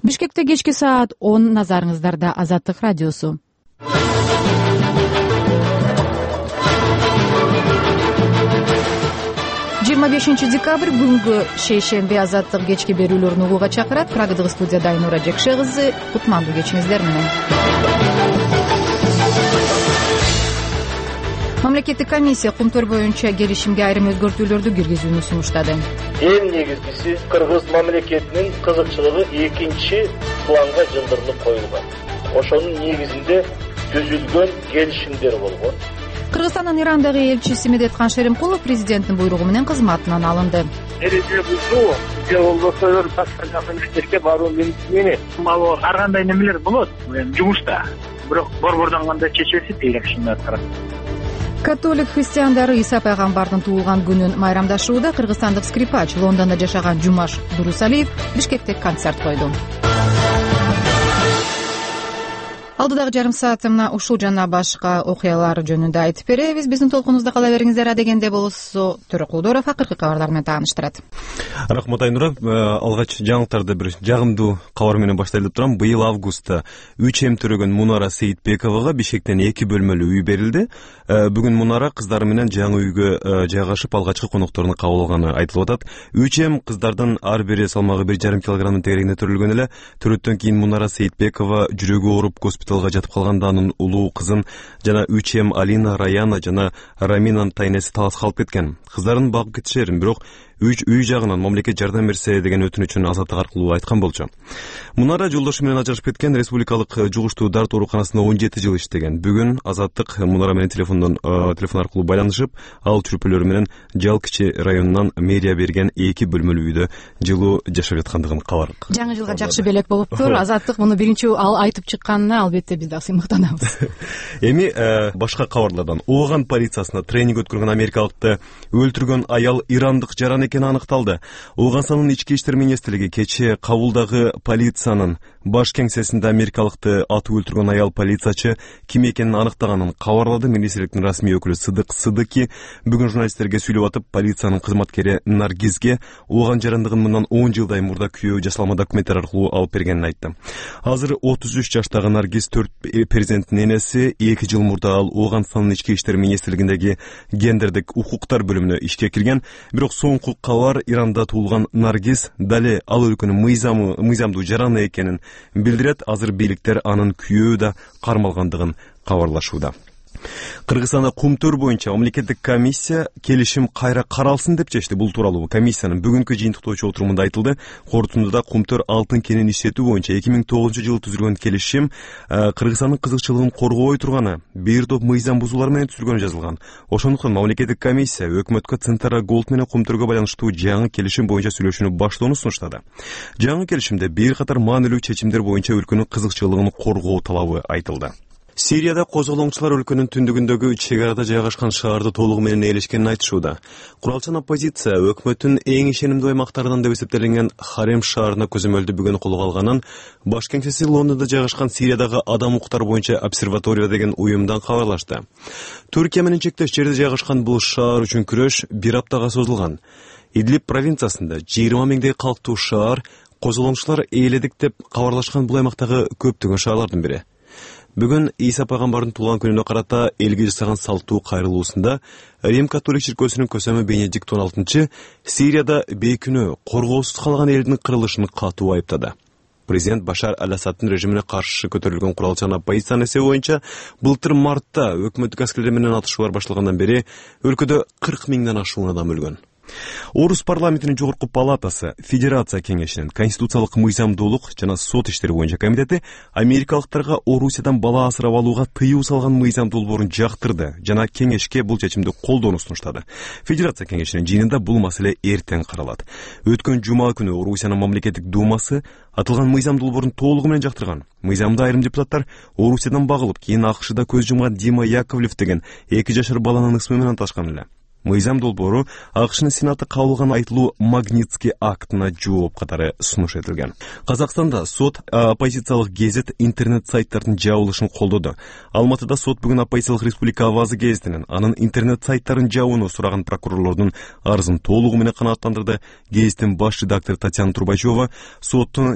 Бишкекте кечки саат 10, назарыңыздарда Азаттык радиосу. 25 декабрь бүгүнкү шейшемби Азаттык кечки берүүлөрүн угууга чакырат. Прагадагы студияда Айнура Жекше кызы. Кутмандуу кечиңиздер менен. Мамлекеттик комиссия Кумтөр боюнча келишимге айрым өзгөртүүлөрдү киргизүүнү сунуштады. Эң негизгиси Кыргыз мамлекетинин кызыкчылыгы экинчи планга жылдырылып коюлган. Ошонун негизинде түзүлгөн келишимдер болгон. Кыргызстандын Ирандагы элчиси Медеткан Шеримкулов президенттин буйругу менен кызматынан алынды. Эреже бузуу же болбосо башка мамлекетке баруу менен ал ар кандай немелер болот жумушта. Бирок борбордон кандай чечилсе тейлешимди аткарат. Католик христиандары Иса пайгамбардын туулган күнүн майрамдашууда. Кыргызстандык скрипач Лондондо жашаган Жумаш Дурусалиев Бишкекте концерт койду. Алдыдагы жарым саатымда ушул жана башка окуялар жөнүндө айтып беребиз. Биздин толкунубузда кала бериңиздер. Адегенде болсо Төрө Кулдоров акыркы кабарлар менен тааныштырат. Рахмат Айнура. Алгач жаңылыктарды бир жагымдуу кабар менен баштайлы деп турам. Быйыл августта 3М төрөгөн Мунара Сейитбековага Бишкектен 2 бөлмөлүү үй берилди. Бүгүн Мунара кыздары менен жаңы үйгө жайгашып алгачкы конокторуну кабыл алганы айтылып атат. 3М кыздардын ар бири салмагы 1,5 килограммдын тегерегинде төрөлгөн эле. Төрөттөн кийин Мунара Сейитбекова жүрөгү ооруп госпиталга жатып калганда анын улуу кызын жана 3М Алина, Раяна жана Раминанын тайнеси талас калып кеткен. Кыздарын багып кетишерин, бирок үй жагынан мамлекет жардам берсе деген өтүнүчүн Азаттык аркылуу айткан болчу. Мунара жолдошу менен ажырашып кеткен. Республикалык жугуштуу дарт ооруканасында 17 жыл иштеген. Бүгүн Азаттык Мунара менен телефон аркылуу байланышып, ал чүрпөлөрү менен Жал кичи районунан мэрия берген 2 бөлмөлүү үйдө жылуу жашап жаткандыгын кабардык. Жаңы жылга жакшы белек болуптур. Азаттык муну биринчи айтып чыкканына албетте биз дагы сыймыктанабыз. Эми башка кабарлардан. Ооган полициясына тренинг өткөргөн америкалыкты өлтүргөн аял ирандык жаран экени аныкталды. Оогансанын ички иштер министрлиги кечээ Кабулдагы полициянын баш кеңсесинде америкалыкты атып өлтүргөн аял полициячы ким экенин аныктаганын кабарлады. Министрликтин расмий өкүлү Сыдык Сыдыки бүгүн журналисттерге сүйлөп атып, полициянын кызматкери Наргизге ооган жарандыгын мындан 10 жылдай мурда күйөө жасалма документтер аркылуу алып бергенин айтты. Азыр 33 жаштагы Наргиз 4 перзенттин энеси. 2 жыл мурда ал Оогандын ички иштер министрлигиндеги гендердик укуктар бөлүмүнө ишке кирген. Бирок соңку кабар Иранда туулган Наргиз дале ал өлкөнүн мыйзамдуу жараны экенин билдирет. Азыр бийликтер анын күйөө да кармалгандыгын кабарлашууда. Кыргызстанда Кумтөр боюнча мамлекеттик комиссия келишим кайра каралсын деп чечти. Бул тууралуу комиссиянын бүгүнкү жыйынтыктоочу отурумунда айтылды. Корутундуда Кумтөр алтын кенин иштетүү боюнча 2009-жылы түзүлгөн келишим Кыргызстандын кызыкчылыгын коргобой турганы, бир топ мыйзам бузуулар менен түзүлгөнү жазылган. Ошондуктан мамлекеттик комиссия өкмөткө Центара Голд менен Кумтөргө байланыштуу жаңы келишим боюнча сүйлөшүүнү баштоону сунуштады. Жаңы келишимде бир катар маанилүү чечимдер боюнча өлкөнүн кызыкчылыгын коргоо талабы айтылды. Сирияда козголоңчулар өлкөнүн түндүгүндөгү чек арада жайгашкан шаарды толугу менен ээлешкенин айтышууда. Куралчан оппозиция өкмөттүн эң ишенимдүү аймактарынан деп эсептелинген Харем шаарына көзөмөлдү бүгүн колго алганын баш кеңсеси Лондондо жайгашкан Сириядагы адам укуктары боюнча обсерватория деген уюмдан кабарлашты. Түркия менен чектеш жерде жайгашкан бул шаар үчүн күрөш 1 аптага созулган. Идлиб провинциясында 20 миңдей калктуу шаар козголоңчулар ээледик деп кабарлашкан бул аймактагы көптөгөн шаарлардын бири. Бүгүн Иса пайгамбардын туулган күнүнө карата элге жасаган салттуу кайрылуусунда Рим католик чиркөөсүнүн көсөмү Бенедикт 16 Сирияда бейкүнөө коргоосуз калган элдин кырылышын катуу айыптады. Президент Башар Аль-Асаддын режимине каршы көтөрүлгөн куралчан оппозициянын эсеби боюнча былтыр мартта өкмөттүк аскерлер менен атышуулар башталгандан бери өлкөдө 40 миңден ашуун адам өлгөн. Орус парламентинин жогорку палатасы, Федерация кеңешинин конституциялык мыйзамдуулук жана сот иштери боюнча комитети америкалыктарга Орусиядан бала асырап алууга тыюу салган мыйзам долбоорун жактырды жана кеңешке бул чечимди колдоону сунуштады. Федерация кеңешинин жыйынында бул маселе эртең каралат. Өткөн жума күнү Орусиянын мамлекеттик думасы атылган мыйзам долбоорун толугу менен жактырган. Мыйзамда айрым депутаттар Орусиядан багылып, кийин АКШда көз жумган Дима Яковлев деген 2 жашар баланын ысмы менен аташкан эле. Мыйзам долбоору АКШнын Сенаты кабыл алган айтылуу Магнитский актына жооп катары сунуш этилген. Казакстанда сот оппозициялык гезит интернет сайттардын жабылышын колдоду. Алматыда сот бүгүн оппозициялык Республика Авазы гезитинин анын интернет сайттарын жабууну сураган прокурорлордун арызын толугу менен канааттандырды. Гезиттин баш редактору Татьяна Трубачева соттун